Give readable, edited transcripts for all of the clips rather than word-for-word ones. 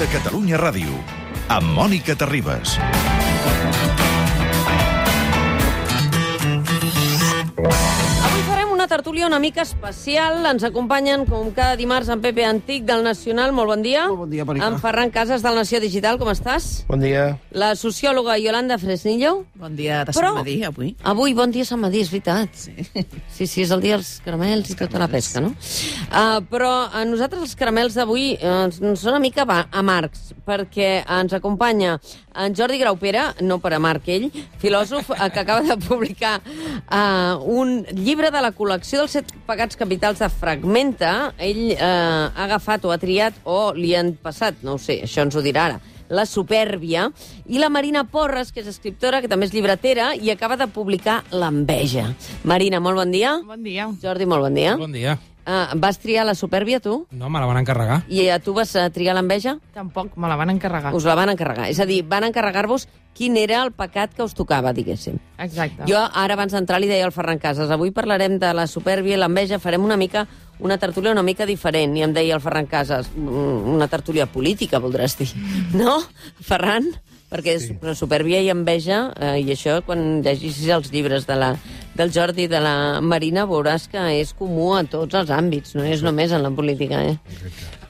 de Catalunya Ràdio, amb Mònica Terribas. Una tertúlia una mica especial. Ens acompanyen, com cada dimarts, en Pepe Antic, del Nacional. Molt bon dia. Molt bon dia, Marica. En Ferran Casas, del Nació Digital. Com estàs? Bon dia. La sociòloga Yolanda Fresnillo. Bon dia de Sant Madí, avui. Avui, bon dia Sant Madí, és veritat. Sí, és el dia dels caramels i tota la pesca, no? Però a nosaltres els caramels d'avui són una mica amargs, perquè ens acompanya en Jordi Graupera, no per amarg ell, filòsof que acaba de publicar un llibre de la col·lecció dels 7 pecats capitals de Fragmenta. Ell ha agafat o ha triat, o li han passat, no ho sé, això ens ho dirà ara, la supèrbia, i la Marina Porres, que és escriptora, que també és llibretera, i acaba de publicar l'enveja. Marina, molt bon dia. Bon dia. Jordi, molt bon dia. Bon dia. Vas triar la supèrbia, tu? No, me la van encarregar. I tu vas triar l'enveja? Tampoc, me la van encarregar. Us la van encarregar. És a dir, van encarregar-vos quin era el pecat que us tocava, diguéssim. Exacte. Jo, ara, abans d'entrar, li deia al Ferran Casas, avui parlarem de la supèrbia i l'enveja, farem una tertúlia una mica diferent, i em deia el Ferran Casas, una tertúlia política, voldràs dir. No, Ferran? Perquè sí. Supèrbia i enveja, i això, quan llegis els llibres del Jordi i de la Marina, veuràs que és comú a tots els àmbits, no és només en la política,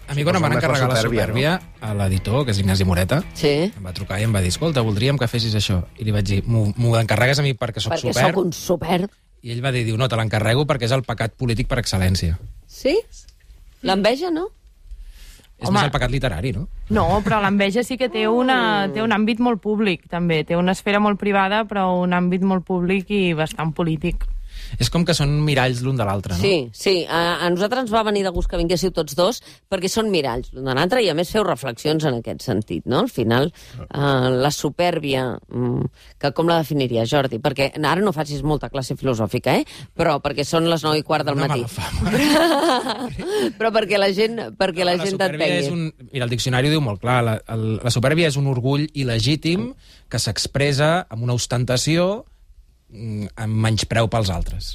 A mi, quan em van encarregar la supèrbia, a l'editor, que és Ignasi Moreta, sí, em va trucar i em va dir, escolta, voldríem que fessis això. I li vaig dir, m'ho encarregues a mi perquè soc perquè supèrb? Perquè sóc un supèrb. I ell va dir, no, te l'encarrego perquè és el pecat polític per excel·lència. Sí? L'enveja, no? És més el pecat literari, no? No, però l'enveja sí que té un àmbit molt públic, també. Té una esfera molt privada, però un àmbit molt públic i bastant polític. És com que són miralls l'un de l'altre, no? Sí. A nosaltres ens va venir de gust que vinguéssiu tots dos, perquè són miralls l'un de l'altre, i a més feu reflexions en aquest sentit, no? Al final, la supèrbia, que com la definiria, Jordi? Perquè ara no facis molta classe filosòfica, però perquè són les 9:15 del matí. Però perquè la gent t'entengui. Mira, el diccionari ho diu molt clar, la supèrbia és un orgull il·legítim que s'expressa amb una ostentació amb menyspreu pels altres.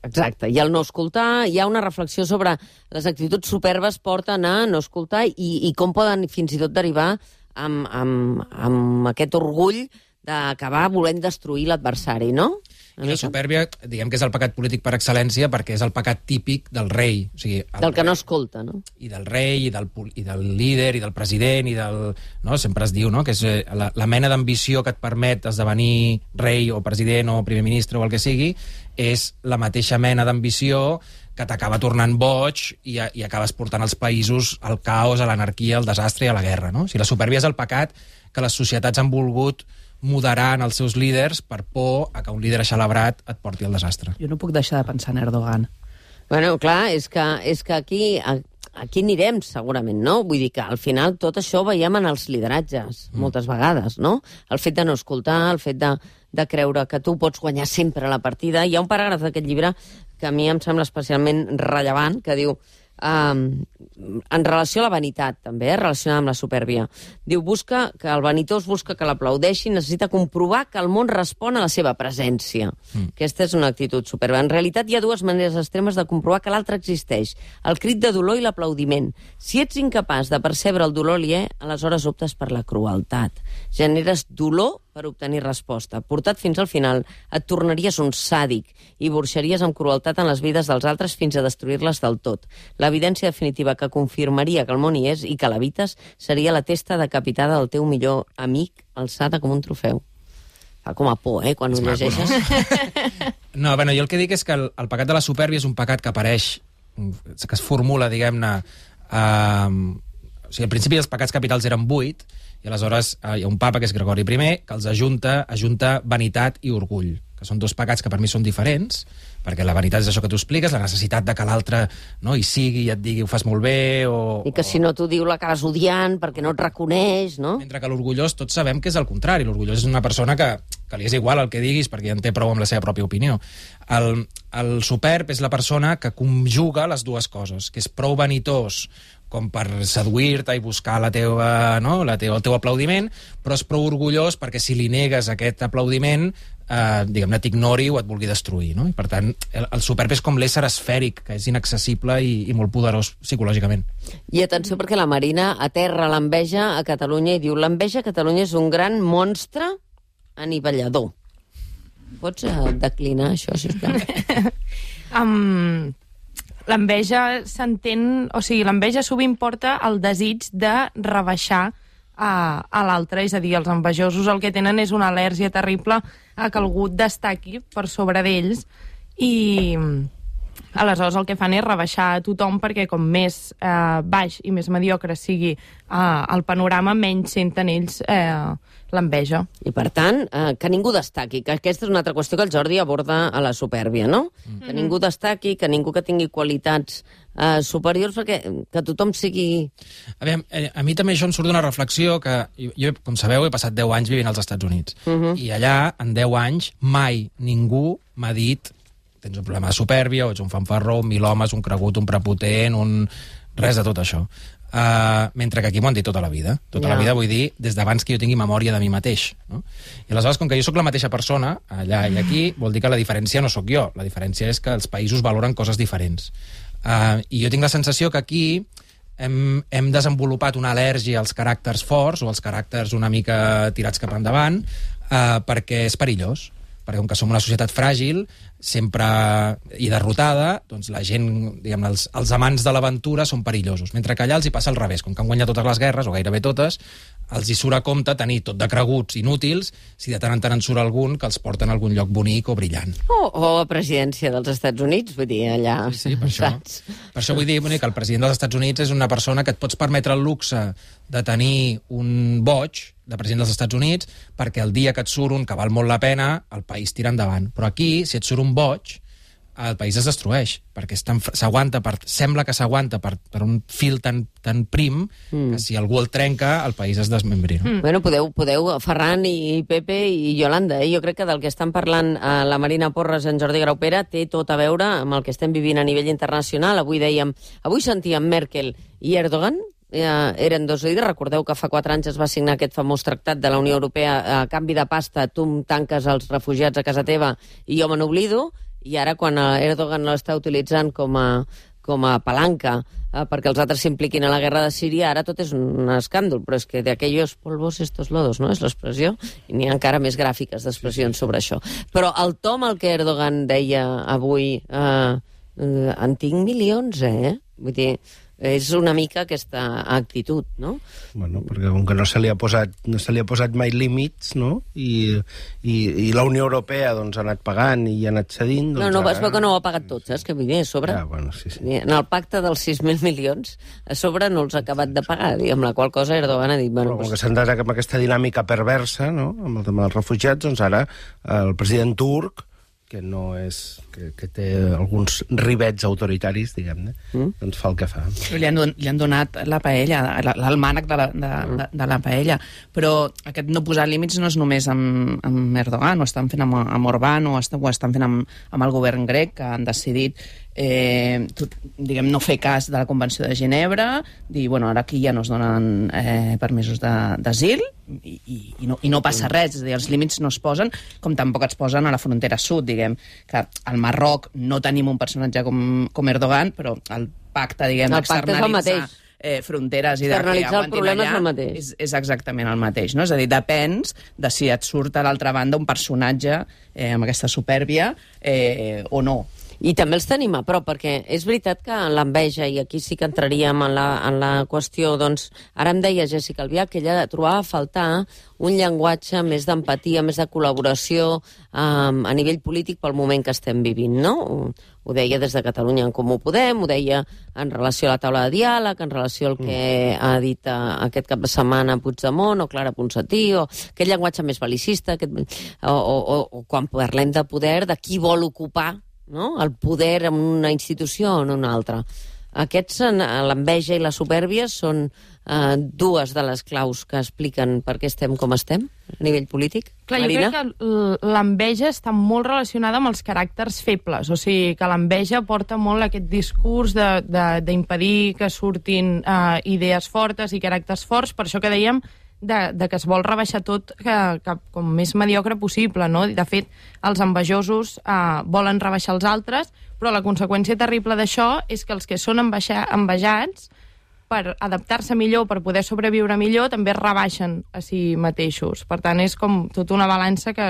Exacte, i al no escoltar hi ha una reflexió sobre les actituds superbes porten a no escoltar i com poden fins i tot derivar amb aquest orgull d'acabar volent destruir l'adversari, no? I la supèrbia, diguem que és el pecat polític per excel·lència perquè és el pecat típic del rei. O sigui, del que no escolta, no? I del rei, i del líder, i del president, i del... No? Sempre es diu, no?, que és la mena d'ambició que et permet esdevenir rei o president o primer ministre o el que sigui, és la mateixa mena d'ambició que t'acaba tornant boig i acabes portant els països al caos, a l'anarquia, al desastre i a la guerra, no? O sigui, la supèrbia és el pecat que les societats han volgut moderar en els seus líders per por a que un líder aixelebrat et porti al desastre. Jo no puc deixar de pensar en Erdogan. Bueno, clar, és que aquí anirem, segurament, no? Vull dir que al final tot això ho veiem en els lideratges, moltes vegades, no? El fet de no escoltar, el fet de creure que tu pots guanyar sempre la partida. Hi ha un paràgraf d'aquest llibre que a mi em sembla especialment rellevant, que diu... en relació a la vanitat, també, relacionada amb la supèrbia. Diu, que el vanitós busca que l'aplaudeixin, necessita comprovar que el món respon a la seva presència. Aquesta és una actitud superba. En realitat hi ha dues maneres extremes de comprovar que l'altre existeix. El crit de dolor i l'aplaudiment. Si ets incapaç de percebre el dolor aliè, aleshores optes per la crueltat. Generes dolor per obtenir resposta. Portat fins al final, et tornaries un sàdic i burxaries amb crueltat en les vides dels altres fins a destruir-les del tot. L'evidència definitiva que confirmaria que el món hi és i que l'habites seria la testa decapitada del teu millor amic alçada com un trofeu. Fa com a por, quan ho llegeixes. No, bueno, jo el que dic és que el pecat de la supèrbia és un pecat que apareix, que es formula, diguem-ne... O sigui, al principi els pecats capitals eren 8, i aleshores hi ha un papa, que és Gregori I, que els ajunta vanitat i orgull, que són dos pecats que per mi són diferents, perquè la vanitat és això que tu expliques, la necessitat de que l'altre hi sigui i et digui ho fas molt bé, i que si no t'ho diu l'acabes odiant perquè no et reconeix, no? Mentre que l'orgullós tots sabem que és el contrari. L'orgullós és una persona que li és igual el que diguis perquè ja en té prou amb la seva pròpia opinió. El superb és la persona que conjuga les dues coses, que és prou vanitós com per seduir-te i buscar el teu aplaudiment, però és prou orgullós perquè si li negues aquest aplaudiment diguem-ne, t'ignori o et vulgui destruir, no? I per tant, el superb és com l'ésser esfèric, que és inaccessible i molt poderós psicològicament. I atenció, perquè la Marina aterra l'enveja a Catalunya i diu: l'enveja a Catalunya és un gran monstre anivellador. Pots declinar això, sisplau? L'enveja s'entén... O sigui, l'enveja sovint porta el desig de rebaixar a l'altre, és a dir, els envejosos el que tenen és una al·lèrgia terrible a que algú destaqui per sobre d'ells i aleshores el que fan és rebaixar a tothom perquè com més baix i més mediocre sigui el panorama, menys senten ells l'enveja. I per tant, que ningú destaqui, que aquesta és una altra qüestió que el Jordi aborda a la supèrbia, no? Que ningú destaqui, que ningú que tingui qualitats superiors, perquè que tothom sigui... A mi també això em surt d'una reflexió que jo, com sabeu, he passat 10 anys vivint als Estats Units. I allà, en 10 anys, mai ningú m'ha dit tens un problema de supèrbia, o ets un fanfarró, un milhomes, un cregut, un prepotent, res de tot això. Mentre que aquí m'ho han dit tota la vida. Tota la vida, vull dir, des d'abans que jo tingui memòria de mi mateix. No? I aleshores, com que jo sóc la mateixa persona, allà i aquí, vol dir que la diferència no sóc jo. La diferència és que els països valoren coses diferents. I jo tinc la sensació que aquí hem desenvolupat una al·lèrgia als caràcters forts o als caràcters una mica tirats cap endavant perquè és perillós. Perquè com que som una societat fràgil, sempre i derrotada, doncs la gent, diguem-ne, els amants de l'aventura són perillosos. Mentre que allà els hi passa al revés. Com que han guanyat totes les guerres, o gairebé totes, els hi surt a compte tenir tot de creguts inútils si de tant en tant en surt algun que els porten a algun lloc bonic o brillant. O a presidència dels Estats Units, vull dir, allà... Sí, per això. Per això vull dir que el president dels Estats Units és una persona que et pots permetre el luxe de tenir un boig de president dels Estats Units perquè el dia que et surt un que val molt la pena, el país tira endavant. Però aquí, si et surt un boig, el país es destrueix, perquè sembla que s'aguanta per un fil tan prim que si algú el trenca, el país es desmembri. No? Bueno, podeu, Ferran i Pepe i Yolanda, jo crec que del que estan parlant la Marina Porres i en Jordi Graupera té tot a veure amb el que estem vivint a nivell internacional. Avui sentíem Merkel i Erdogan, eren dos líders. Recordeu que fa 4 anys es va signar aquest famós tractat de la Unió Europea a canvi de pasta, tu em tanques els refugiats a casa teva i jo me n'oblido, i ara quan Erdogan l'està utilitzant com a palanca perquè els altres s'impliquin a la guerra de Síria, ara tot és un escàndol, però és que de aquellos polvos estos lodos, no? És l'expressió, i n'hi ha encara més gràfiques d'expressions sobre això. Però el to amb el que Erdogan deia avui, en tinc milions, Vull dir, és una mica aquesta actitud, no? Bueno, perquè com que no se li ha posat mai límits, no? I la Unió Europea doncs, ha anat pagant i ha anat cedint... Doncs no, es veu que no ho ha pagat tot, saps? Que vull dir, a sobre... Ja, bueno, sí. En el pacte dels 6.000 milions, a sobre no els ha acabat de pagar, amb la qual cosa Erdogan ha dit... Bueno, com que s'han d'anar amb aquesta dinàmica perversa, no?, amb els refugiats, doncs ara el president turc, que no és... que té alguns rivets autoritaris, diguem-ne, doncs fa el que fa. Li han donat la paella, l'almànec de la paella, però aquest no posar límits no és només amb Erdogan, ho estan fent amb Orbán, o estan fent amb el govern grec, que han decidit diguem, no fer cas de la Convenció de Ginebra, dir, bueno, ara aquí ja no es donen permisos d'asil i no passa res, és a dir, els límits no es posen, com tampoc es posen a la frontera sud, diguem, que al Marroc no tenim un personatge com Erdogan, però el pacte, diguem, d'externalitzar fronteres i de que aguantin allà és exactament el mateix, no? És a dir, depens de si et surt a l'altra banda un personatge amb aquesta supèrbia o no. I també els tenim a prop, perquè és veritat que l'enveja, i aquí sí que entraríem en la qüestió, doncs, ara em deia Jessica Albiach que ella trobava a faltar un llenguatge més d'empatia, més de col·laboració a nivell polític pel moment que estem vivint, no? Ho deia des de Catalunya en Comú Podem, ho deia en relació a la taula de diàleg, en relació al que ha dit aquest cap de setmana Puigdemont o Clara Ponsatí, o aquest llenguatge més bel·licista, o quan parlem de poder, de qui vol ocupar, no?, el poder en una institució o en una altra. Aquests, l'enveja i la supèrbia, són dues de les claus que expliquen per què estem com estem a nivell polític. Clar, Marina? Jo crec que l'enveja està molt relacionada amb els caràcters febles, o sigui, que l'enveja porta molt aquest discurs d'impedir que surtin idees fortes i caràcters forts, per això que dèiem de que es vol rebaixar tot que com més mediocre possible, no? De fet, els envejosos volen rebaixar els altres, però la conseqüència terrible d'això és que els que són envejats, per adaptar-se millor, per poder sobreviure millor, també es rebaixen a si mateixos. Per tant, és com tota una balança que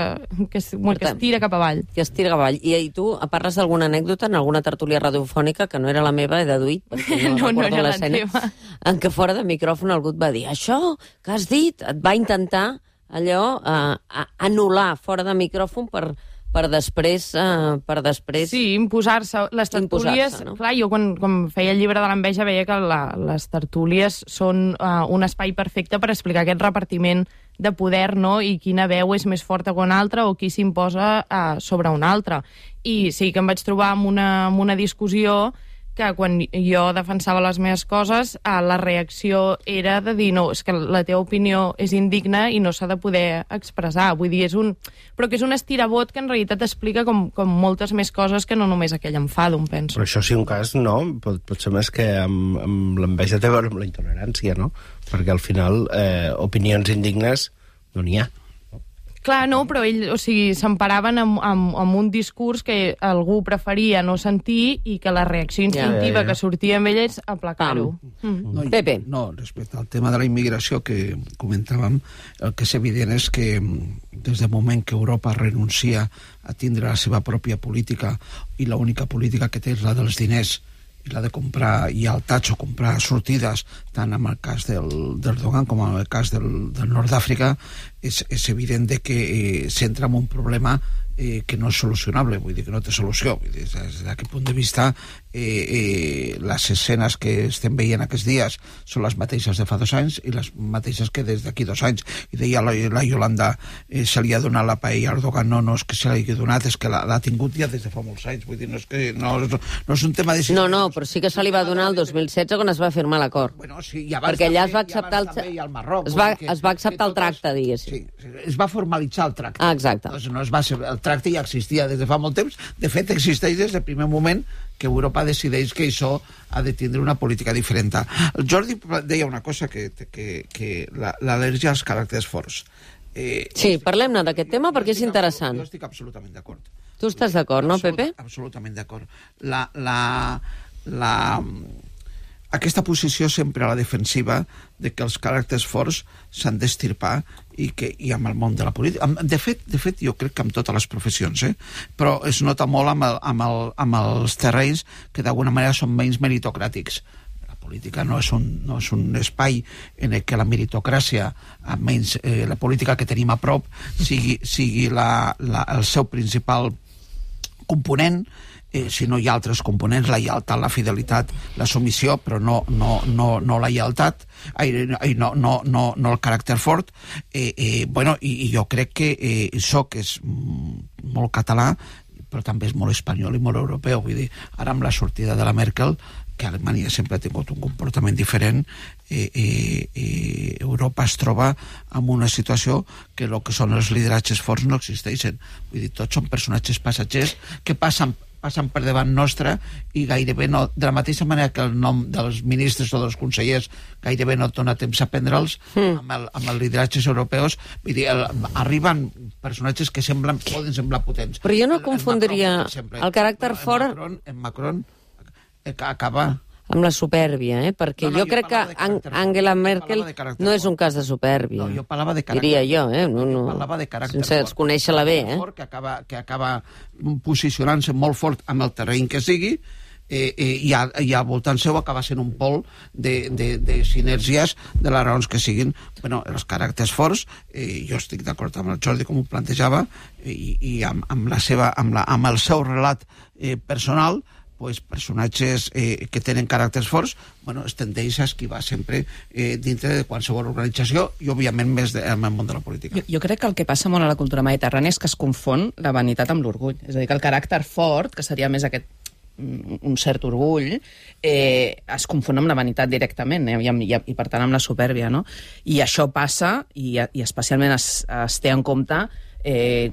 es tira cap avall. Que es tira cap avall. I tu parles d'alguna anècdota en alguna tertúlia radiofònica, que no era la meva, he deduït, perquè no recordo l'escena, en què fora de micròfon algú et va dir això que has dit, et va intentar allò anul·lar fora de micròfon per després... Sí, imposar-se. Les tertúlies... No? Clar, jo quan feia el llibre de l'enveja veia que les tertúlies són un espai perfecte per explicar aquest repartiment de poder, no? I quina veu és més forta que una altra o qui s'imposa sobre una altra. I sí que em vaig trobar amb una discussió que quan jo defensava les meves coses, la reacció era de dir no, és que la teva opinió és indigna i no s'ha de poder expressar. Vull dir, però que és un estirabot que en realitat explica com moltes més coses que no només aquell enfado, em penso. Però això sí un cas, no? Pot ser més que amb l'enveja té a veure amb la intolerància, no? Perquè al final opinions indignes no n'hi ha. Clar, no, però s'emparaven amb un discurs que algú preferia no sentir i que la reacció instintiva que sortia amb ell és aplacar-ho. Pepe. No, respecte al tema de la immigració que comentàvem, el que és evident és que des del moment que Europa renuncia a tindre la seva pròpia política i l'única política que té és la dels diners i la de comprar lleialtats o comprar sortides, tant en el cas d'Erdogan com en el cas del nord d'Àfrica, és evident que s'entra en un problema que no és solucionable, vull dir que no té solució. Vull dir, des d'aquest punt de vista, les escenes que estem veient aquests dies són les mateixes de fa 2 anys i les mateixes que des d'aquí 2 anys. I deia la Yolanda, se li ha donat la paella a Erdogan. No és que se li hagi donat, és que l'ha tingut ja des de fa molts anys. Vull dir, no és un tema de... No, però sí que se li va donar el 2016 quan es va firmar l'acord. Bueno, sí, perquè allà es va acceptar es va acceptar el tracte, diguéssim. Sí, es va formalitzar el tracte. Exacte. Doncs no es va ser, el tracte ja existia des de fa molt temps. De fet, existeix des del primer moment que Europa decideix que això ha de tindre una política diferent. El Jordi deia una cosa, que l'al·lèrgia als caràcters forts. Sí, parlem-ne d'aquest tema perquè és interessant. Jo estic absolutament d'acord. Tu estàs d'acord, no, Pepe? Absolutament d'acord. Aquesta posició sempre a la defensiva de que els caràcters forts s'han d'estirpar i amb el món de la política. De fet, jo crec que amb totes les professions, però es nota molt amb els terrenys que d'alguna manera són menys meritocràtics. La política no és un espai en què la meritocràcia, almenys la política que tenim a prop, sigui el seu principal component, si no hi ha altres components, la lleialtat, la fidelitat, la submissió, però no la lleialtat, no el caràcter fort. I jo crec que això que és molt català, però també és molt espanyol i molt europeu. Vull dir, ara amb la sortida de la Merkel, que Alemanya sempre ha tingut un comportament diferent, Europa es troba en una situació que el que són els lideratges forts no existeixen. Vull dir, tots són personatges passatgers que passen per davant nostre i gairebé no, de la mateixa manera que el nom dels ministres o dels consellers gairebé no et dona temps a prendre'ls, amb els lideratges europeus. Vull dir, arriben personatges que poden semblar potents. Però jo no confondria el caràcter fort... En Macron acaba... amb la supèrbia, perquè jo crec que Angela Merkel no és un cas de supèrbia. No, jo parlava de caràcter. Diria jo, Jo parlava de caràcter sense conèixer-la bé, que acaba posicionant-se molt fort amb el terreny que sigui, i al voltant seu acaba sent un pol de sinergies de les raons que siguin. Bueno, els caràcters forts, jo estic d'acord amb el Jordi com ho plantejava, i amb el seu relat personal, personatges que tenen caràcters forts, es tendeix a esquivar sempre dintre de qualsevol organització i, òbviament, més en el món de la política. Jo crec que el que passa molt a la cultura mediterrània és que es confon la vanitat amb l'orgull. És a dir, que el caràcter fort, que seria més un cert orgull, es confon amb la vanitat directament, i per tant amb la supèrbia, no? I això passa, i especialment es té en compte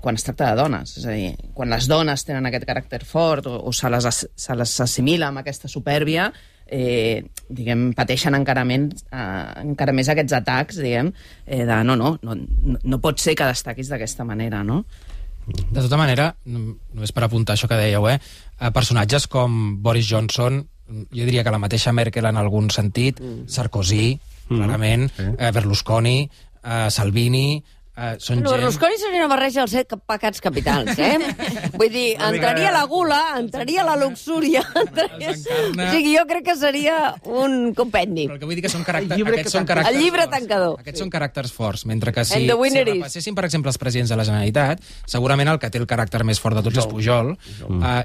quan es tracta de dones. És a dir, quan les dones tenen aquest caràcter fort o se les assimila amb aquesta supèrbia, pateixen encara més aquests atacs, de no pot ser que destaquis d'aquesta manera, no? De tota manera, només per apuntar això que dèieu, personatges com Boris Johnson, jo diria que la mateixa Merkel en algun sentit, Sarkozy, clarament, Berlusconi, Salvini, són gent... Berlusconi seria una barreja dels 7 pecats capitals, Vull dir, entraria la gula, entraria la luxúria, o sigui, jo crec que seria un compendi. Però el que vull dir que són caràcters... El llibre tancador. Aquests són caràcters forts, mentre que si repassessin, per exemple, els presidents de la Generalitat, segurament el que té el caràcter més fort de tots és Pujol,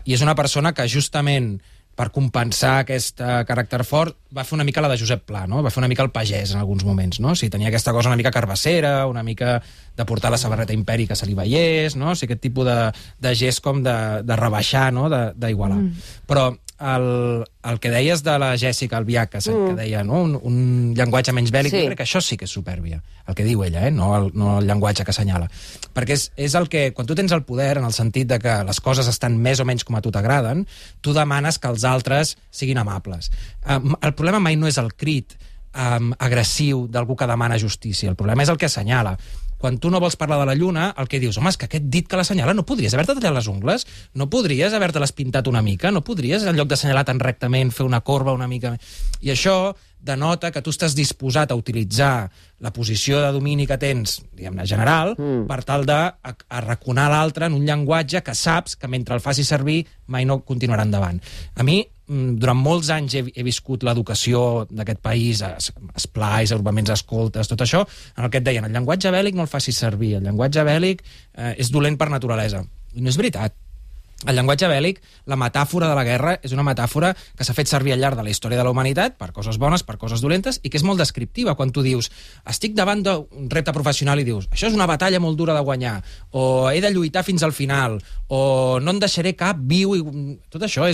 i és una persona que justament per compensar aquest caràcter fort, va fer una mica la de Josep Pla, no? Va fer una mica el pagès en alguns moments, no? O sigui, tenia aquesta cosa una mica carbassera, una mica de portar la samarreta imperi que se li veiés, no? O sigui, aquest tipus de gest com de rebaixar, no? D'igualar. Però el que deies de la Jèssica Albiach, que deia, no? Un llenguatge menys bèl·lic, jo crec que això sí que és supèrbia, el que diu ella, no el llenguatge que assenyala. Perquè és el que, quan tu tens el poder, en el sentit de que les coses estan més o menys com a tu t'agraden, tu demanes que els altres siguin amables. El problema mai no és el crit agressiu d'algú que demana justícia, el problema és el que assenyala. Quan tu no vols parlar de la lluna, el que dius, home, és que aquest dit que l'assenyala no podries haver-te tallat les ungles? No podries haver-te-les pintat una mica? No podries, en lloc d'assenyalar tan rectament, fer una corba una mica... I això denota que tu estàs disposat a utilitzar la posició de domini que tens, diguem-ne, general, per tal d'arraconar l'altre en un llenguatge que saps que mentre el facis servir mai no continuarà endavant. A mi, durant molts anys he viscut l'educació d'aquest país, esplais, agrupaments escoltes, tot això, en el que et deien, el llenguatge bèl·lic no el facis servir, el llenguatge bèl·lic és dolent per naturalesa. I no és veritat. El llenguatge bèl·lic, la metàfora de la guerra, és una metàfora que s'ha fet servir al llarg de la història de la humanitat per coses bones, per coses dolentes, i que és molt descriptiva. Quan tu dius, estic davant d'un repte professional i dius, això és una batalla molt dura de guanyar, o he de lluitar fins al final, o no en deixaré cap viu, i tot això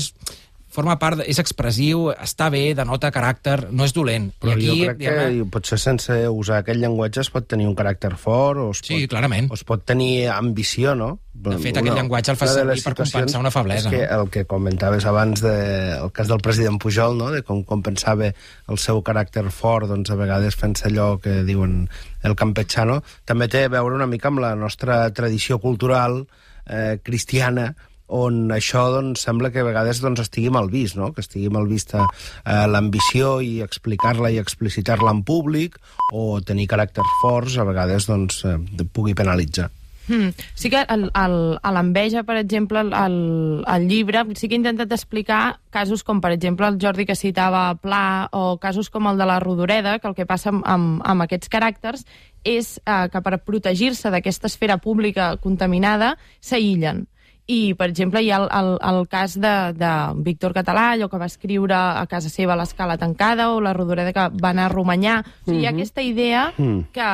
forma part, és expressiu, està bé, denota caràcter, no és dolent. Però jo crec que potser sense usar aquest llenguatge es pot tenir un caràcter fort, o clarament. Es pot tenir ambició, no? De fet, aquest llenguatge el fa servir per compensar una feblesa. És que el que comentaves abans del cas del president Pujol, no? De com compensava el seu caràcter fort, doncs a vegades fent-se allò que diuen el campechano, també té a veure una mica amb la nostra tradició cultural cristiana, on això doncs, sembla que a vegades estigui mal vist, no? Que estigui mal vista l'ambició i explicar-la i explicitar-la en públic, o tenir caràcters forts a vegades pugui penalitzar. Sí que a l'enveja, per exemple, al llibre, sí que he intentat explicar casos com, per exemple, el Jordi que citava Pla, o casos com el de la Rodoreda, que el que passa amb aquests caràcters és que per protegir-se d'aquesta esfera pública contaminada s'aïllen. I, per exemple, hi ha el cas de Víctor Català, allò que va escriure a casa seva l'Escala tancada, o la Rodoreda que va anar a Romanyà. O sigui, hi ha aquesta idea que,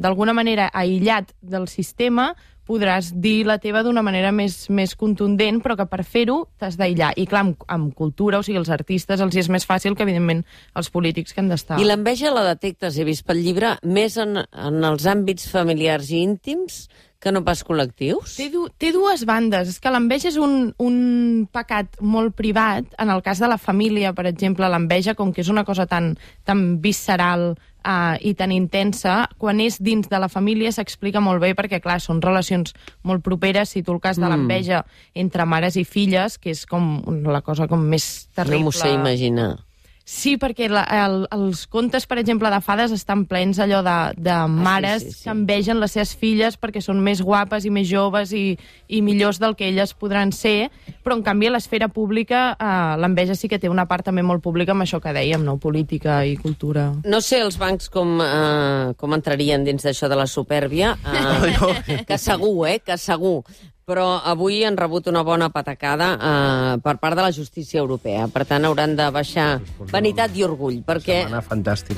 d'alguna manera, aïllat del sistema, podràs dir la teva d'una manera més contundent, però que per fer-ho t'has d'aïllar. I, clar, amb cultura, o sigui, els artistes els és més fàcil que, evidentment, els polítics que han d'estar. I l'enveja la detectes, he vist pel llibre, més en els àmbits familiars i íntims que no pas col·lectius? Té dues bandes. És que l'enveja és un pecat molt privat. En el cas de la família, per exemple, l'enveja, com que és una cosa tan visceral i tan intensa, quan és dins de la família s'explica molt bé, perquè, clar, són relacions molt properes. Si tu el cas de l'enveja entre mares i filles, que és com la cosa com més terrible... No m'ho sé imaginar. Sí, perquè els contes, per exemple, de fades estan plens allò de mares que envegen les seves filles perquè són més guapes i més joves i millors del que elles podran ser, però en canvi a l'esfera pública l'enveja sí que té una part també molt pública amb això que dèiem, no? Política i cultura. No sé els bancs com entrarien dins d'això de la supèrbia, que segur, que segur. Però avui han rebut una bona patacada per part de la justícia europea. Per tant, hauran de baixar vanitat i orgull, perquè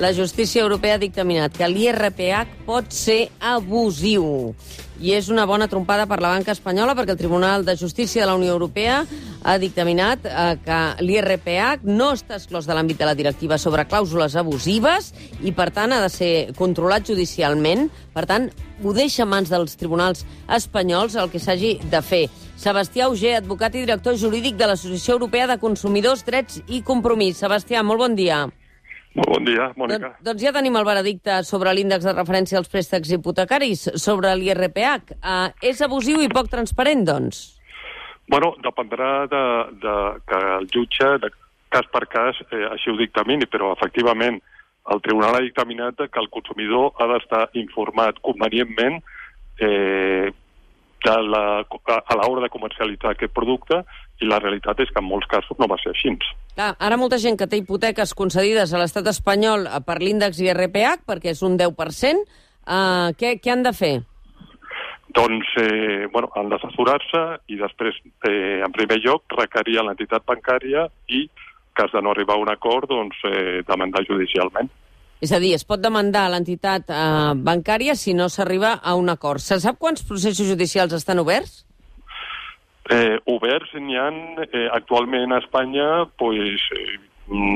la justícia europea ha dictaminat que l'IRPH pot ser abusiu. i és una bona trompada per la banca espanyola perquè el Tribunal de Justícia de la Unió Europea ha dictaminat que l'IRPH no està exclòs de l'àmbit de la directiva sobre clàusules abusives i, per tant, ha de ser controlat judicialment. Per tant, ho deixa en mans dels tribunals espanyols el que s'hagi de fer. Sebastià Auger, advocat i director jurídic de l'Associació Europea de Consumidors, Drets i Compromís. Sebastià, molt bon dia. Molt bon dia, Mònica. Doncs ja tenim el veredicte sobre l'índex de referència als préstecs hipotecaris, sobre l'IRPH. És abusiu i poc transparent, doncs? Bueno, dependrà que el jutge, de cas per cas, així ho dictamini, però efectivament el tribunal ha dictaminat que el consumidor ha d'estar informat convenientment a l'hora de comercialitzar aquest producte, i la realitat és que en molts casos no va ser així. Clar, ara molta gent que té hipoteques concedides a l'estat espanyol per l'índex IRPH, perquè és un 10%, què han de fer? Doncs, han d'assessorar-se i després, en primer lloc, requerir a l'entitat bancària i, en cas de no arribar a un acord, doncs, demandar judicialment. És a dir, es pot demandar a l'entitat bancària si no s'arriba a un acord. Se sap quants processos judicials estan oberts? Oberts n'hi ha actualment a Espanya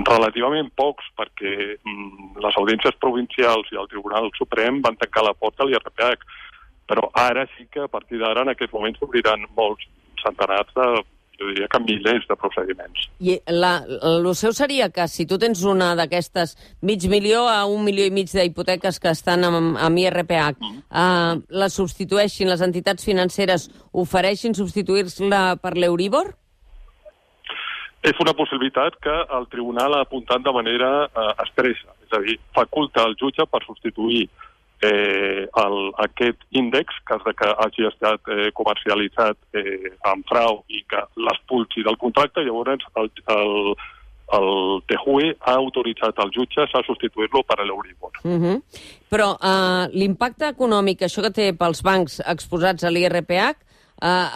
relativament pocs, perquè les audiències provincials i el Tribunal Suprem van tancar la porta a l'IRPH. Però ara sí que a partir d'ara en aquest moment s'obriran molts centenars jo diria que milers de procediments. I el seu seria que si tu tens una d'aquestes 500.000 a 1,5 milions d'hipoteques que estan amb IRPH, les substitueixin, les entitats financeres ofereixin substituir-la per l'Euribor? És una possibilitat que el tribunal ha apuntat de manera expressa, és a dir, faculta al jutge per substituir aquest índex, cas que hagi estat comercialitzat amb frau i que l'expulsi del contracte, llavors el TJUE ha autoritzat al jutge a substituir-lo per l'Euribor. Però l'impacte econòmic, això que té pels bancs exposats a l'IRPH,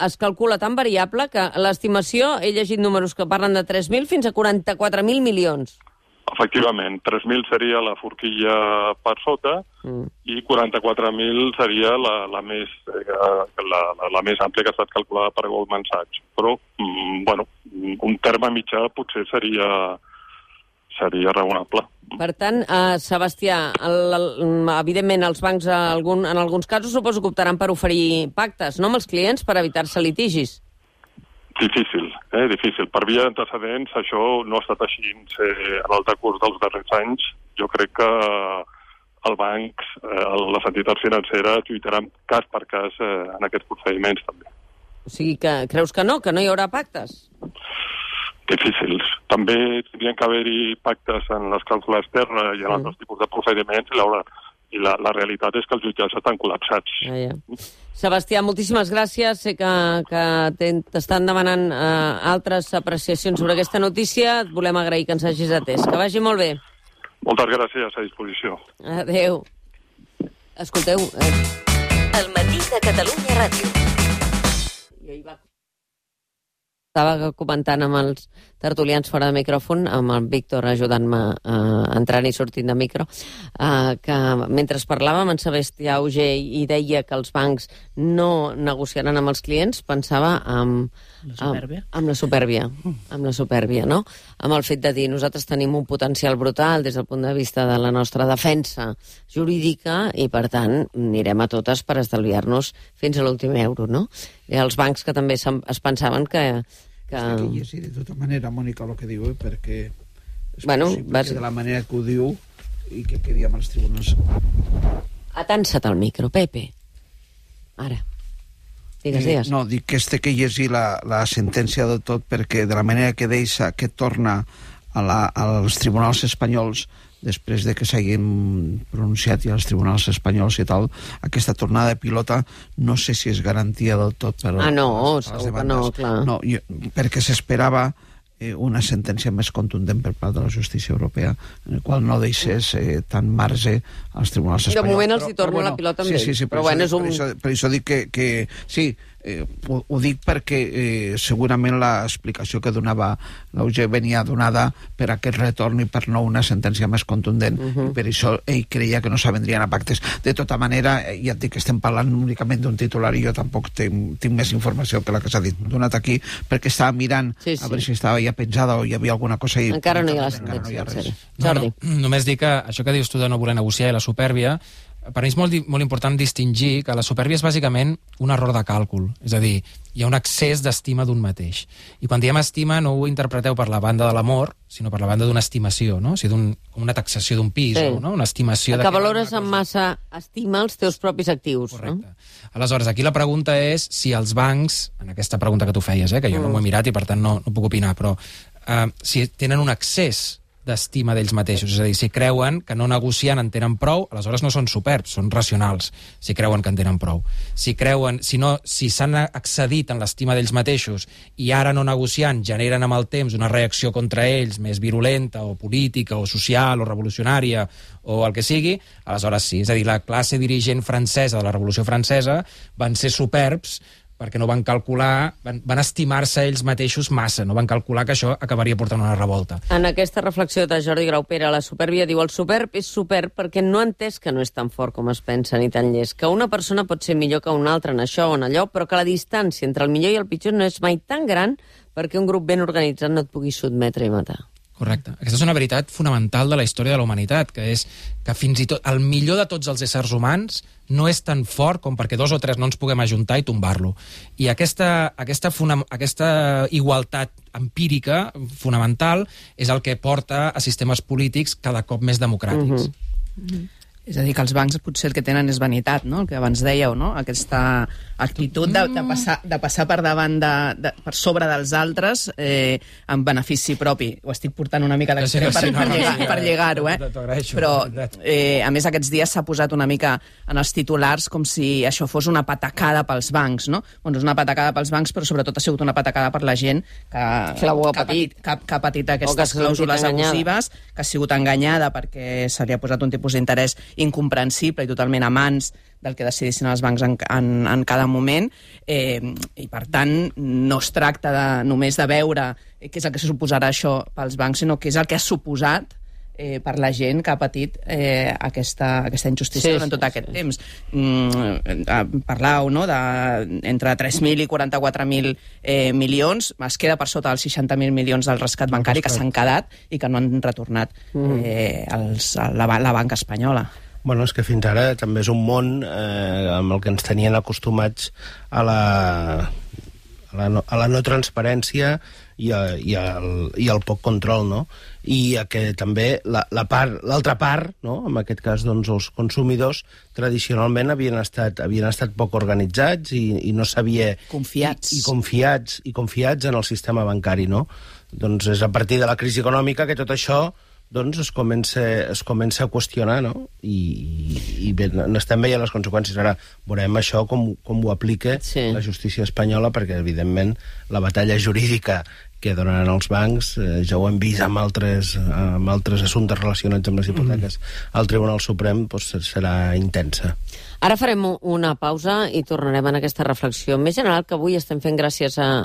es calcula tan variable que l'estimació, he llegit números que parlen de 3.000 fins a 44.000 milions. Efectivament, 3.000 seria la forquilla per sota i 44.000 seria la més àmplia que ha estat calculada per Goldman Sachs. Però, un terme mitjà potser seria raonable. Per tant, Sebastià, evidentment els bancs en alguns casos suposo que optaran per oferir pactes, no, amb els clients per evitar-se litigis. Difícil. Per via d'antecedents això no ha estat així en el decurs dels darrers anys. Jo crec que els bancs, les entitats financeres lluitaran cas per cas en aquests procediments també. O sigui que creus que no hi haurà pactes? Difícils. També tindrien que haver-hi pactes en les clàusules terra i en altres tipus de procediments i la realitat és que els jutjats estan col·lapsats. Sebastià, moltíssimes gràcies. Sé que t'estan demanant altres apreciacions sobre aquesta notícia. Et volem agrair que ens hagis atès. Que vagi molt bé. Moltes gràcies, a disposició. Adéu. Escolteu... El matí de Catalunya Ràdio. Estava comentant amb els tertulians fora de micròfon, amb el Víctor ajudant-me entrant i sortint de micro, que mentre parlàvem en Sebastià Auger i deia que els bancs no negociaran amb els clients, pensava amb la supèrbia, no? Amb el fet de dir nosaltres tenim un potencial brutal des del punt de vista de la nostra defensa jurídica i, per tant, anirem a totes per estalviar-nos fins a l'últim euro, no? I els bancs que també es pensaven que... Sí, de tota manera, Mònica, el que diu, perquè és possible que de la manera que ho diu i que quedi amb els tribunals. Atansa't al micro, Pepe. Ara. Digues. No, dic que que llegir la sentència de tot, perquè de la manera que deixa, que torna als tribunals espanyols, després de que s'hagin pronunciat i als tribunals espanyols i tal, aquesta tornada de pilota no sé si és garantia del tot per segur que no, clar. No, perquè s'esperava una sentència més contundent per part de la justícia europea, en el qual no deixés tant marge als tribunals espanyols. De moment els hi torna la pilota amb ells. Sí, per això dic que sí, Ho dic perquè segurament l'explicació que donava l'Auger venia donada per aquest retorn i per no una sentència més contundent. I per això ell creia que no s'avendrien a pactes. De tota manera, ja et dic que estem parlant únicament d'un titular i jo tampoc tinc més informació que la que s'ha donat aquí, perquè estava mirant a veure si estava ja penjada o hi havia alguna cosa. Encara no hi ha la sentència. Jordi. Només dic que això que dius tu de no voler negociar i la supèrbia, per mi és molt important distingir que la supèrbia és bàsicament un error de càlcul. És a dir, hi ha un excés d'estima d'un mateix. I quan diem estima no ho interpreteu per la banda de l'amor, sinó per la banda d'una estimació, no? O sigui, com una taxació d'un pis, no? Una estimació... Que valores amb massa estima els teus propis actius. Correcte. No? Aleshores, aquí la pregunta és si els bancs, en aquesta pregunta que tu feies, que jo no m'ho he mirat i per tant no puc opinar, però si tenen un excés d'estima d'ells mateixos, és a dir, si creuen que no negociant en tenen prou, aleshores no són superbs, són racionals, si creuen que en tenen prou. Si s'han excedit en l'estima d'ells mateixos i ara no negociant generen amb el temps una reacció contra ells més virulenta o política o social o revolucionària o el que sigui, aleshores sí. És a dir, la classe dirigent francesa de la Revolució Francesa van ser superbs perquè no van calcular, van estimar-se ells mateixos massa, no van calcular que això acabaria portant una revolta. En aquesta reflexió de Jordi Graupera, la supèrbia diu: el superb és superb perquè no ha entès que no és tan fort com es pensa ni tan llest, que una persona pot ser millor que una altra en això o en allò, però que la distància entre el millor i el pitjor no és mai tan gran perquè un grup ben organitzat no et pugui sotmetre i matar. Correcte. Aquesta és una veritat fonamental de la història de la humanitat, que és que fins i tot el millor de tots els éssers humans no és tan fort com perquè 2 o 3 no ens puguem ajuntar i tombar-lo. I aquesta igualtat empírica fonamental és el que porta a sistemes polítics cada cop més democràtics. És a dir, que els bancs potser el que tenen és vanitat, no? El que abans dèieu, no? Aquesta actitud de passar per davant per sobre dels altres en benefici propi. Ho estic portant una mica d'extrem per lligar-ho, Però, a més, aquests dies s'ha posat una mica en els titulars com si això fos una patacada pels bancs, no? Bueno, és una patacada pels bancs, però sobretot ha sigut una patacada per la gent que ha patit aquestes clàusules abusives, que ha sigut enganyada perquè se li ha posat un tipus d'interès incomprensible i totalment a mans del que decidissin els bancs en cada moment, i per tant no es tracta només de veure què és el que suposarà això pels bancs, sinó què és el que ha suposat per la gent que ha patit aquesta injustícia durant tot aquest temps. Parlau, no?, entre 3.000 i 44.000 milions, es queda per sota dels 60.000 milions del rescat bancari que s'han quedat i que no han retornat la banca espanyola. Bueno, és que fins ara també és un món amb el que ens tenien acostumats a la no transparència i al poc control, no? I que també l'altra part, no? En aquest cas, doncs, els consumidors tradicionalment havien estat poc organitzats i no sabia... Confiats. I confiats en el sistema bancari, no? Doncs és a partir de la crisi econòmica que tot això doncs es comença a qüestionar, no? I bé, n'estem veient les conseqüències. Ara veurem això com ho aplica la justícia espanyola, perquè, evidentment, la batalla jurídica que donaran els bancs, ja ho hem vist amb altres assumptes relacionats amb les hipoteques al Tribunal Suprem, doncs serà intensa. Ara farem una pausa i tornarem en aquesta reflexió més general que avui estem fent gràcies a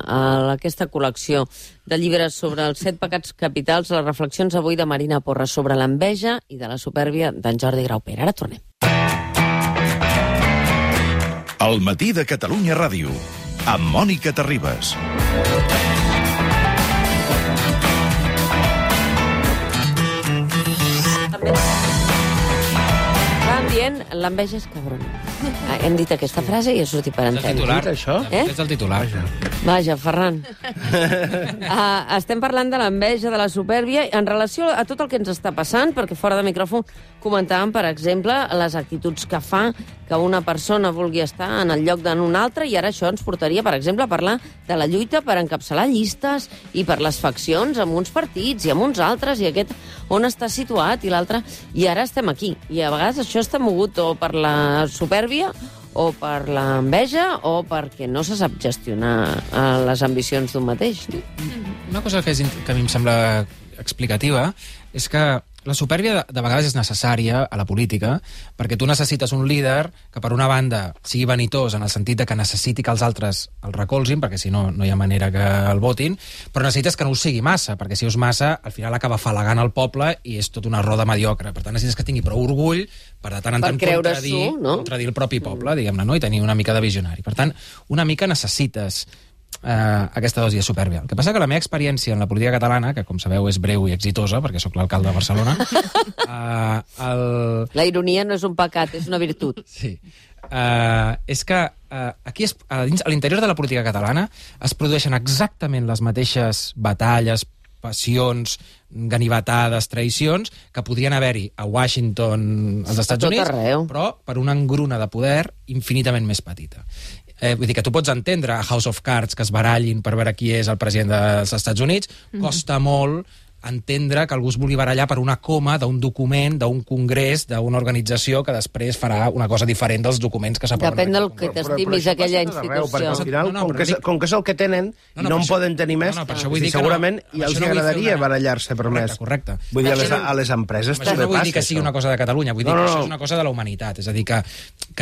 aquesta col·lecció de llibres sobre els 7 pecats capitals, les reflexions avui de Marina Porras sobre l'enveja i de la supèrbia d'en Jordi Graupera. Ara tornem. El matí de Catalunya Ràdio, amb Mònica Terribas. L'enveja és cabrona. Hem dit aquesta frase i ha sortit per antena. És el titular, això? És el titular. Vaja, Ferran. Estem parlant de l'enveja, de la supèrbia, en relació a tot el que ens està passant, perquè fora de micròfon comentàvem, per exemple, les actituds que fa que una persona vulgui estar en el lloc d'un altre, i ara això ens portaria, per exemple, a parlar de la lluita per encapçalar llistes i per les faccions amb uns partits i amb uns altres, i aquest on està situat i l'altre, i ara estem aquí. I a vegades això està mogut o per la supèrbia o per l'enveja o perquè no se sap gestionar les ambicions d'un mateix. Una cosa que a mi em sembla explicativa és que la supèrbia de vegades és necessària a la política, perquè tu necessites un líder que, per una banda, sigui vanitós en el sentit de que necessiti que els altres el recolzin, perquè si no, no hi ha manera que el votin, però necessites que no ho sigui massa, perquè si ho és massa, al final acaba afalagant el poble i és tota una roda mediocre. Per tant, necessites que tingui prou orgull per de tant en tant contradir el propi poble, diguem-ne, no? I tenir una mica de visionari. Per tant, una mica necessites aquesta dosi de supèrbia. El que passa que la meva experiència en la política catalana, que com sabeu és breu i exitosa, perquè sóc l'alcalde de Barcelona... La ironia no és un pecat, és una virtut. Sí. És que aquí a l'interior de la política catalana es produeixen exactament les mateixes batalles, passions, ganivetades, traïcions, que podrien haver-hi a Washington, als Estats Units, però per una engruna de poder infinitament més petita. Vull dir que tu pots entendre a House of Cards que es barallin per veure qui és el president dels Estats Units, costa molt entendre que algú es vulgui barallar per una coma d'un document, d'un congrés, d'una organització que després farà una cosa diferent dels documents que s'aproven. Depèn del que t'estimis aquella institució. Perquè al final, com que és el que tenen, i no en poden tenir més, segurament i els agradaria barallar-se per més. Correcte. Vull dir, a les empreses també passa. No vull dir que sigui una cosa de Catalunya, vull dir que això és una cosa de la humanitat. És a dir, que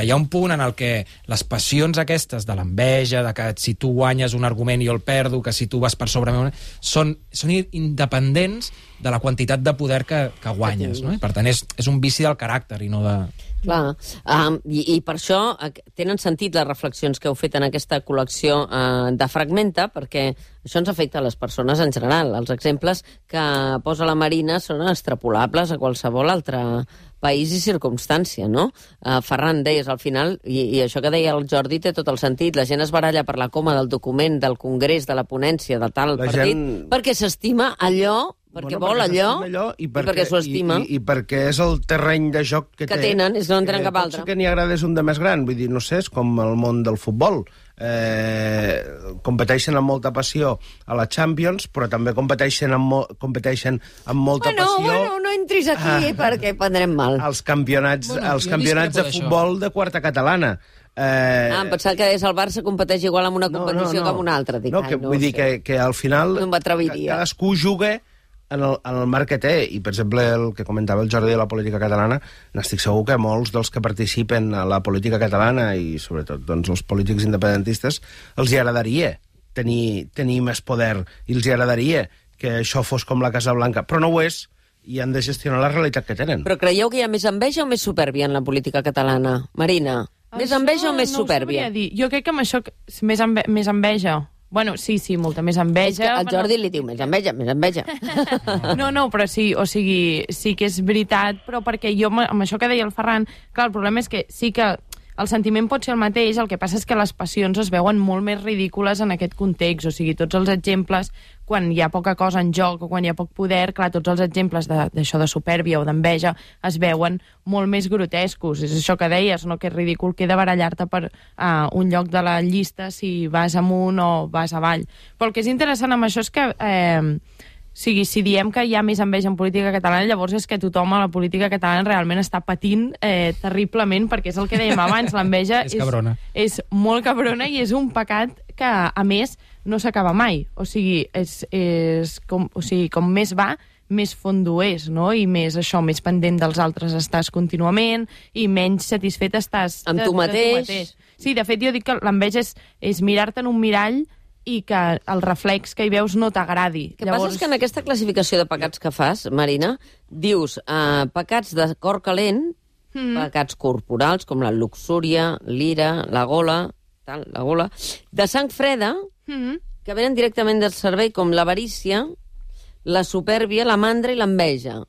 hi ha un punt en el que les passions aquestes de l'enveja, de que si tu guanyes un argument jo el perdo, que si tu vas per sobre meu, són independents de la quantitat de poder que guanyes, no? I per tant és un vici del caràcter i no de... Clar, i per això tenen sentit les reflexions que heu fet en aquesta col·lecció de Fragmenta, perquè això ens afecta a les persones en general. Els exemples que posa la Marina són extrapolables a qualsevol altre país i circumstància, no? Ferran, deies al final, i això que deia el Jordi té tot el sentit, la gent es baralla per la coma del document, del congrés, de la ponència, de tal partit, perquè s'estima allò, perquè vol allò i perquè s'ho estima. I perquè és el terreny de joc que tenen, és que no en tenen cap altre. Potser que n'hi agrada és un de més gran, vull dir, no sé, és com el món del futbol. Competeixen amb molta passió a la Champions, però també competeixen amb molta passió... Bueno, no entris aquí perquè prendrem mal. Els campionats de futbol de quarta catalana. Em pensava que deies el Barça competeix igual amb una competició que amb una altra. Vull dir que al final cadascú juga en el marc que té, i per exemple el que comentava el Jordi de la política catalana, n'estic segur que molts dels que participen a la política catalana i sobretot doncs, els polítics independentistes els hi agradaria tenir més poder i els hi agradaria que això fos com la Casa Blanca, però no ho és i han de gestionar la realitat que tenen. Però creieu que hi ha més enveja o més supèrbia en la política catalana? Marina, més enveja o més supèrbia? Jo crec que amb això més enveja. Bueno, sí, molta més enveja. El Jordi li diu més enveja. No, però sí, o sigui, sí que és veritat, però perquè jo, amb això que deia el Ferran, clar, el problema és que sí que el sentiment pot ser el mateix, el que passa és que les passions es veuen molt més ridícules en aquest context, o sigui, tots els exemples, quan hi ha poca cosa en joc o quan hi ha poc poder, clar, tots els exemples d'això de supèrbia o d'enveja es veuen molt més grotescos. És això que deies, no? Que és ridícul queda barallar-te per un lloc de la llista si vas amunt o vas avall. Però el que és interessant amb això és que... si diem que hi ha més enveja en política catalana, llavors és que tothom a la política catalana realment està patint terriblement, perquè és el que dèiem abans, l'enveja és molt cabrona i és un pecat que, a més, no s'acaba mai. O sigui, com més va, més fondo és, no? I més més pendent dels altres estàs contínuament i menys satisfet estàs amb tu mateix. Sí, de fet, jo dic que l'enveja és mirar-te en un mirall i que el reflex que hi veus no t'agradi. El que passa és que en aquesta classificació de pecats que fas, Marina, dius pecats de cor calent, pecats corporals, com la luxúria, l'ira, la gola, de sang freda, que venen directament del cervell, com l'avarícia, la supèrbia, la mandra i l'enveja.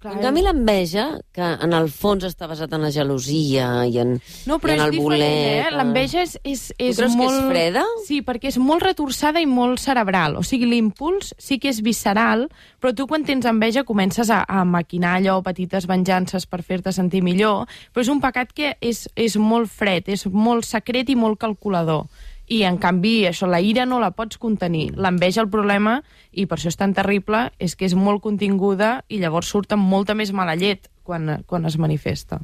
En canvi, l'enveja, que en el fons està basat en la gelosia i en el voler... L'enveja és creus molt... que és freda? Sí, perquè és molt retorçada i molt cerebral. O sigui, l'impuls sí que és visceral, però tu quan tens enveja comences a maquinar allò, petites venjances per fer-te sentir millor, però és un pecat que és molt fred, és molt secret i molt calculador. I, en canvi, això, la ira no la pots contenir. L'enveja, el problema, i per això és tan terrible, és que és molt continguda i llavors surt amb molta més mala llet quan es manifesta.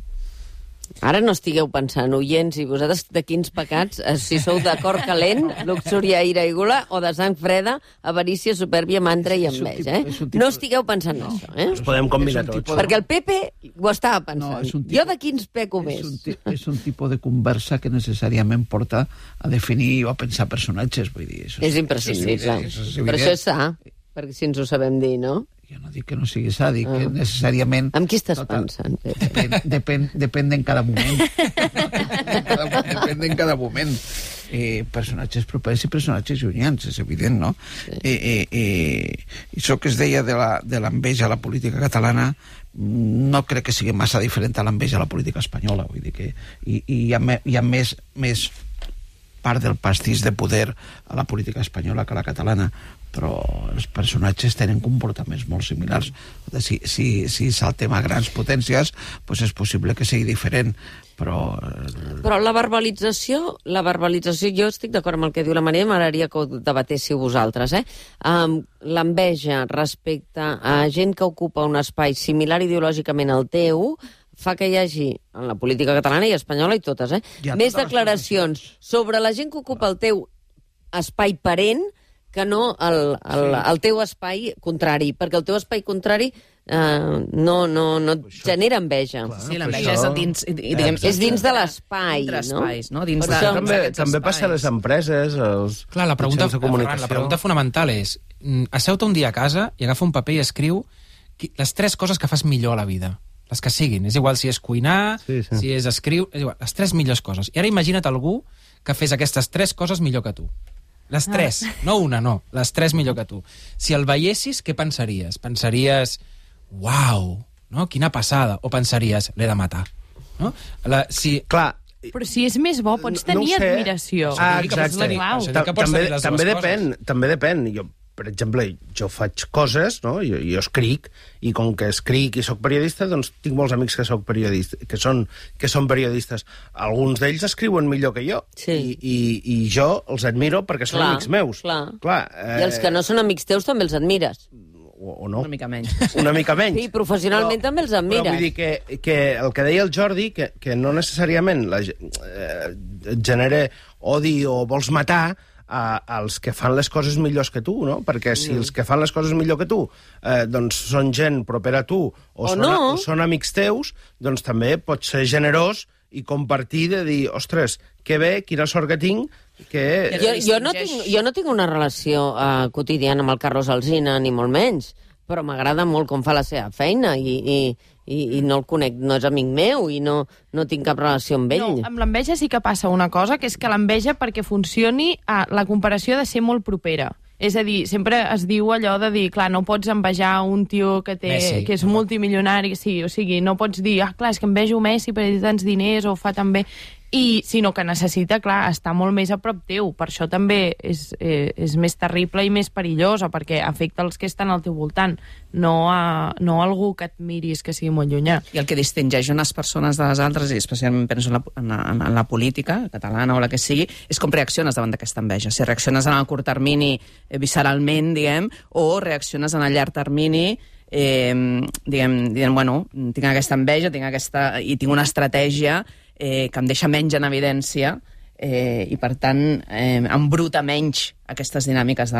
Ara no estigueu pensant, oients, i vosaltres de quins pecats, si sou de cor calent, luxúria, ira i gula, o de sang freda, avarícia, supèrbia, mandra i enveja, No estigueu pensant en això, Els podem combinar tots. Perquè el Pepe ho estava pensant. Jo de quins peco més? És un tipus de conversa que necessàriament porta a definir o a pensar personatges, vull dir. És imprescindible. Però això és sa, perquè si ens ho sabem dir, no? Jo no dic que no sigui sa, dic que necessàriament... Amb qui estàs pensant, Pepe? Depèn en cada moment. Depèn en cada moment. Personatges propers i personatges llunyans, és evident, no? I això que es deia de l'enveja a la política catalana no crec que sigui massa diferent a l'enveja a la política espanyola, vull dir que hi ha més part del pastís de poder a la política espanyola que a la catalana, però els personatges tenen comportaments molt similars. Si saltem a grans potències, doncs és possible que sigui diferent, però la verbalització, jo estic d'acord amb el que diu la Maria, m'agradaria que ho debatéssiu vosaltres, l'enveja respecte a gent que ocupa un espai similar ideològicament al teu, fa que hi hagi, en la política catalana i espanyola i totes, més declaracions sobre la gent que ocupa el teu espai parent que no el teu espai contrari, perquè el teu espai contrari no et genera enveja. Sí, l'enveja és dins... És dins de l'espai, no? Espais, no? També passa a les empreses, als mitjans de comunicació. La pregunta fonamental és, asseu-te un dia a casa i agafa un paper i escriu les 3 coses que fas millor a la vida. Les que siguin. És igual si és cuinar, si és escriure... És igual, les 3 millors coses. I ara imagina't algú que fes aquestes 3 coses millor que tu. Les 3, no una, no. Les 3 millor que tu. Si el veiessis, què pensaries? Pensaries, uau, no? Quina passada. O pensaries, l'he de matar. No? Clar, però si és més bo, pots tenir admiració. Exacte. També depèn. Jo, per exemple, jo faig coses, no? Jo escric, i com que escric i sóc periodista, doncs tinc molts amics que són periodistes. Alguns d'ells escriuen millor que jo, i jo els admiro perquè són amics meus. Clar. I els que no són amics teus també els admires. O no. Una mica menys. Sí, professionalment també els admires. Però vull dir que el que deia el Jordi, que no necessàriament genera odi o vols matar als que fan les coses millors que tu, no? Perquè si els que fan les coses millor que tu doncs són gent propera a tu o són amics teus, doncs també pots ser generós i compartir, de dir, ostres, que bé, quina sort que tinc, que... Jo no tinc una relació quotidiana amb el Carlos Alsina, ni molt menys, però m'agrada molt com fa la seva feina i no el conec, no és amic meu i no tinc cap relació amb ell. No, amb l'enveja sí que passa una cosa, que és que l'enveja, perquè funcioni, la comparació ha de ser molt propera. És a dir, sempre es diu allò de dir, clar, no pots envejar un tio que és multimilionari, sí, o sigui, no pots dir, clar, és que envejo Messi perquè té tants diners o fa tan bé, sinó que necessita, clar, estar molt més a prop teu. Per això també és més terrible i més perillosa, perquè afecta els que estan al teu voltant, no algú que et miris que sigui molt llunyà. I el que distingeix unes persones de les altres, i especialment penso en la política catalana o la que sigui, és com reacciones davant d'aquesta enveja. Si reacciones en el curt termini visceralment, diguem, o reacciones en el llarg termini dient, bueno, tinc aquesta enveja, i tinc una estratègia que em deixa menys en evidència i, per tant, embruta menys aquestes dinàmiques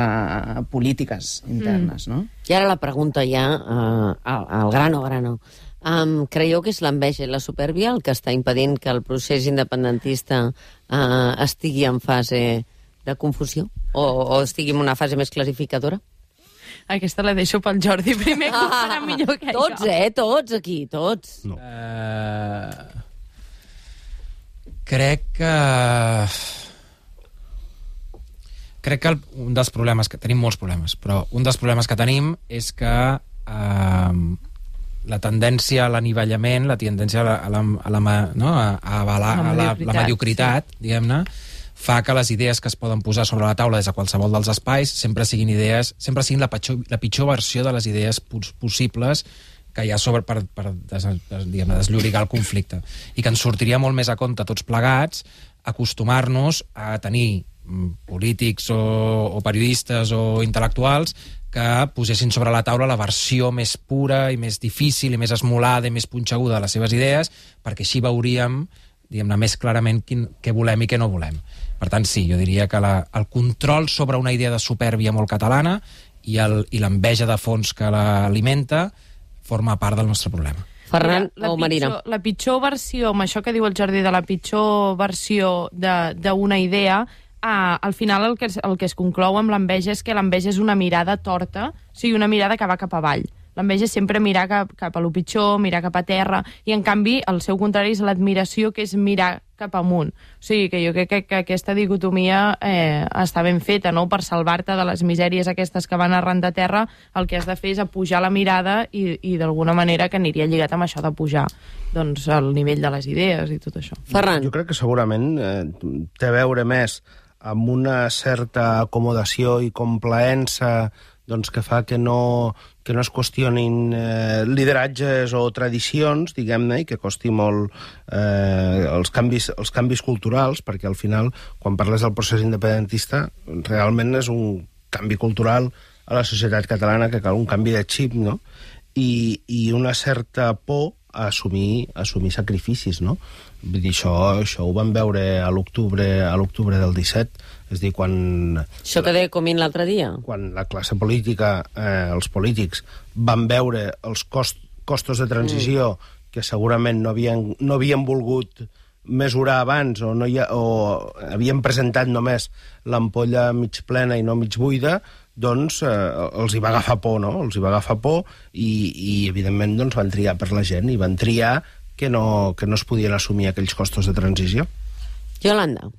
polítiques internes, no? I ara la pregunta ja, al grano. Creieu que és l'enveja i la supèrbia el que està impedint que el procés independentista estigui en fase de confusió? O estigui en una fase més clarificadora? Aquesta la deixo pel Jordi primer, que ho farà millor que jo. Tots aquí, tots. No. Crec que un dels problemes, que tenim molts problemes, però un dels problemes que tenim és que la tendència a l'anivellament, la tendència a la mediocritat, diguem-ne, fa que les idees que es poden posar sobre la taula des de qualsevol dels espais sempre siguin la pitjor versió de les idees possibles que hi ha sobre per desllorigar el conflicte. I que ens sortiria molt més a compte tots plegats acostumar-nos a tenir polítics o periodistes o intel·lectuals que posessin sobre la taula la versió més pura i més difícil i més esmolada i més punxeguda de les seves idees, perquè així veuríem, diguem-ne, més clarament què volem i què no volem. Per tant, sí, jo diria que el control sobre una idea de supèrbia molt catalana i l'enveja de fons que l'alimenta forma part del nostre problema. Ferran o Marina? La pitjor versió, amb això que diu el Jordi, de la pitjor versió d'una idea, al final el que es conclou amb l'enveja és que l'enveja és una mirada torta, o sigui, una mirada que va cap avall. L'enveja és sempre mirar cap a lo pitjor, mirar cap a terra, i en canvi el seu contrari és l'admiració, que és mirar cap amunt. O sigui, que jo crec que aquesta dicotomia està ben feta, no? Per salvar-te de les misèries aquestes que van arran de terra, el que has de fer és apujar la mirada i d'alguna manera que aniria lligat amb això de pujar doncs, el nivell de les idees i tot això. Ferran. Jo crec que segurament té a veure més amb una certa acomodació i complaença doncs, que fa que no es qüestionin lideratges o tradicions, diguem-ne, i que costi molt els canvis culturals, perquè al final, quan parles del procés independentista, realment és un canvi cultural a la societat catalana, que cal un canvi de xip, no? I una certa por a assumir sacrificis, no? Vull dir, això ho vam veure a l'octubre del 17, és a dir, quan... Això que deia Comín l'altre dia. Quan la classe política, els polítics, van veure els costos de transició que segurament no havien volgut mesurar abans o havien presentat només l'ampolla mig plena i no mig buida, doncs els hi va agafar por, no? Els hi va agafar por i evidentment, doncs, van triar per la gent i van triar que no es podien assumir aquells costos de transició. Yolanda.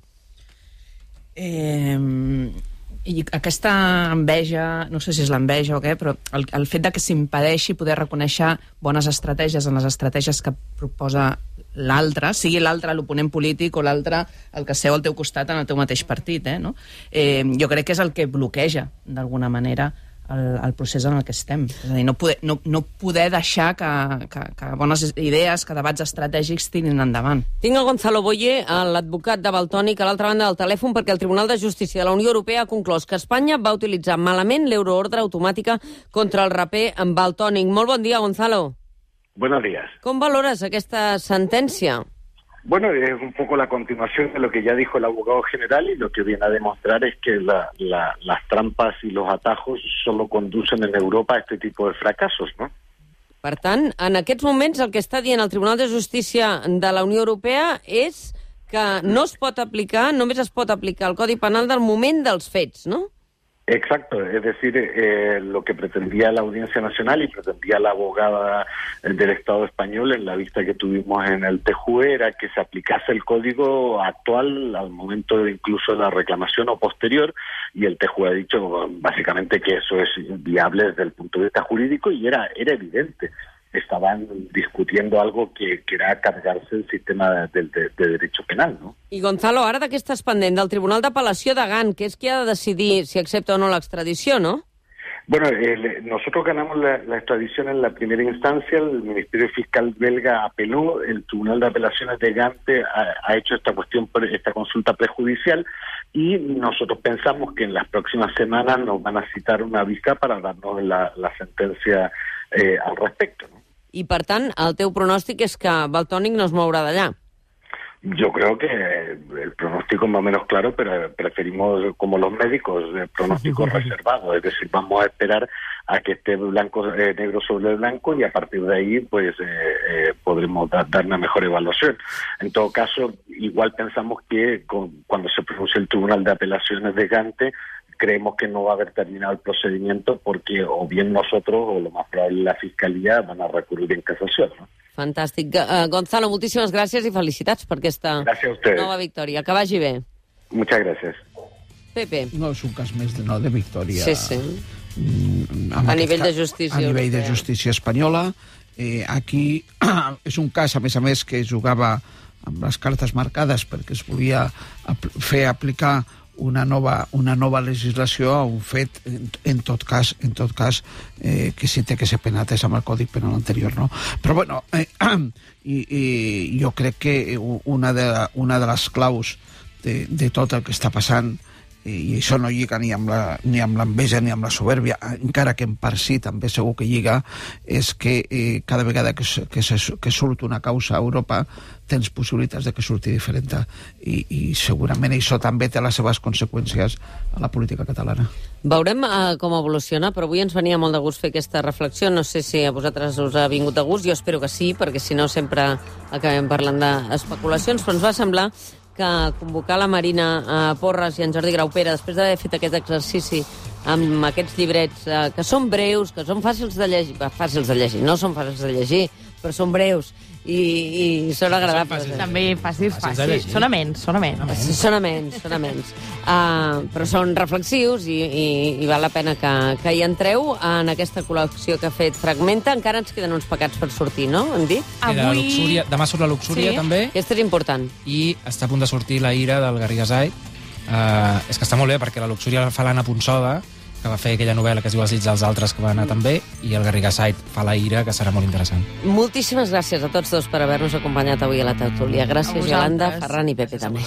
I aquesta enveja, no sé si és l'enveja o què, però el fet de que s'impedeixi poder reconèixer bones estratègies en les estratègies que proposa l'altre, sigui l'altre l'oponent polític o l'altre el que seu al teu costat en el teu mateix partit, no? Jo crec que és el que bloqueja, d'alguna manera, el procés en el que estem. És a dir, no poder deixar que bones idees, que debats estratègics tirin endavant. Tinc el Gonzalo Boye, l'advocat de Valtònyc, a l'altra banda del telèfon, perquè el Tribunal de Justícia de la Unió Europea ha conclòs que Espanya va utilitzar malament l'euroordre automàtica contra el raper en Valtònyc. Molt bon dia, Gonzalo. Buenos días. Com valores aquesta sentència? Bueno, es un poco la continuación de lo que ya dijo el abogado general y lo que viene a demostrar es que las trampas y los atajos solo conducen en Europa a este tipo de fracasos, ¿no? Per tant, en aquests moments el que està dient el Tribunal de Justícia de la Unió Europea és que no es pot aplicar, només es pot aplicar el Codi Penal del moment dels fets, no? Exacto, es decir, lo que pretendía la Audiencia Nacional y pretendía la abogada del Estado español en la vista que tuvimos en el TJUE era que se aplicase el código actual al momento de incluso la reclamación o posterior, y el TJUE ha dicho básicamente que eso es viable desde el punto de vista jurídico y era evidente. Estaban discutiendo algo que era cargarse el sistema de derecho penal, ¿no? I Gonzalo, ara de què estàs pendent? Del Tribunal d'Apel·lació de Gant, que és qui ha de decidir si accepta o no l'extradició, ¿no? Bueno, nosotros ganamos la extradición en la primera instancia, el Ministerio Fiscal belga apeló, el Tribunal de Apelaciones de Gante ha hecho esta consulta prejudicial y nosotros pensamos que en las próximas semanas nos van a citar una vista para darnos la sentencia al respecto, ¿no? I, per tant, el teu pronòstic és que Valtònyc no es mourà d'allà. Yo creo que el pronóstico es más o menos claro, pero preferimos, como los médicos, el pronóstico reservado. Es decir, vamos a esperar a que esté negro sobre blanco y a partir de ahí pues podremos dar una mejor evaluación. En todo caso, igual pensamos que cuando se pronuncie el Tribunal de Apelaciones de Gante, creemos que no va a haver terminado el procedimiento porque o bien nosotros o lo más probable la Fiscalía van a recurrir en casación, ¿no? Fantàstic. Gonzalo, moltíssimes gràcies i felicitats per aquesta nova victòria. Que vagi bé. Muchas gracias. Pepe. No és un cas més de victòria. Sí, sí. A nivell de justícia. A nivell de justícia espanyola. Aquí és un cas, a més, que jugava amb les cartes marcades perquè es volia fer aplicar una nova legislació a un fet, en tot cas que sí té que ser penat és amb el Codi Penal anterior, no? Però bueno, jo crec que una de les claus de tot el que està passant i això no lliga ni amb l'enveja ni amb la soberbia, encara que en part sí, també segur que lliga, és que cada vegada que surt una causa a Europa tens possibilitats de que surti diferent, i segurament això també té les seves conseqüències a la política catalana. Veurem com evoluciona, però avui ens venia molt de gust fer aquesta reflexió. No sé si a vosaltres us ha vingut de gust, jo espero que sí, perquè si no sempre acabem parlant d'especulacions, però ens va semblar que convocar la Marina Porres i en Jordi Graupera, després d'haver fet aquest exercici amb aquests llibrets que són breus, que són fàcils de llegir, no són fàcils de llegir, però són breus i són agradables. També fàcils. Són amens. Però són reflexius i val la pena que hi entreu en aquesta col·lecció que ha fet Fragmenta. Encara ens queden uns pecats per sortir, no? Hem dit? Demà surt la Luxúria, també. Aquesta és important. I està a punt de sortir La ira, del Garriga Said. És que està molt bé, perquè la Luxúria fa l'Anna Ponsoda, que va fer aquella novel·la que es diu Els dits dels altres, que va anar també, i el Garriga Said fa La ira, que serà molt interessant. Moltíssimes gràcies a tots dos per haver-nos acompanyat avui a la tertúlia. Gràcies, Yolanda, Ferran i Pepe, també.